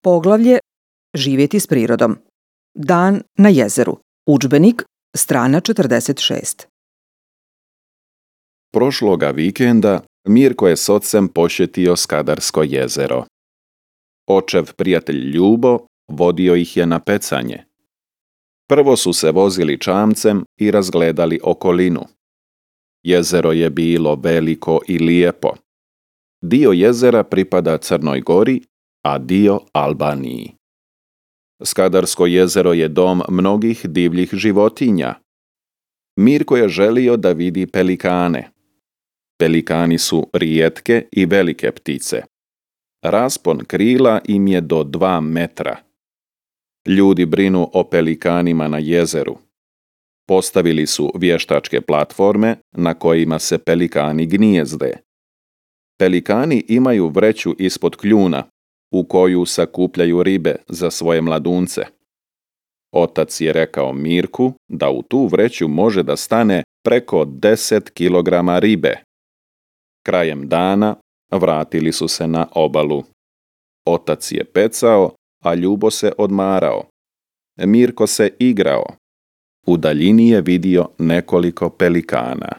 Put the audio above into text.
Poglavlje Živjeti s prirodom. Dan na jezeru. Udžbenik, strana 46. Prošloga vikenda Mirko je s ocem posjetio Skadarsko jezero. Očev prijatelj Ljubo vodio ih je na pecanje. Prvo su se vozili čamcem i razgledali okolinu. Jezero je bilo veliko i lijepo. Dio jezera pripada Crnoj Gori, a dio Albaniji. Skadarsko jezero je dom mnogih divljih životinja. Mirko je želio da vidi pelikane. Pelikani su rijetke i velike ptice. Raspon krila im je do 2 metra. Ljudi brinu o pelikanima na jezeru. Postavili su vještačke platforme na kojima se pelikani gnijezde. Pelikani imaju vreću ispod kljuna u koju sakupljaju ribe za svoje mladunce. Otac je rekao Mirku da u tu vreću može da stane preko 10 kilograma ribe. Krajem dana vratili su se na obalu. Otac je pecao, a Ljubo se odmarao. Mirko se igrao. U daljini je vidio nekoliko pelikana.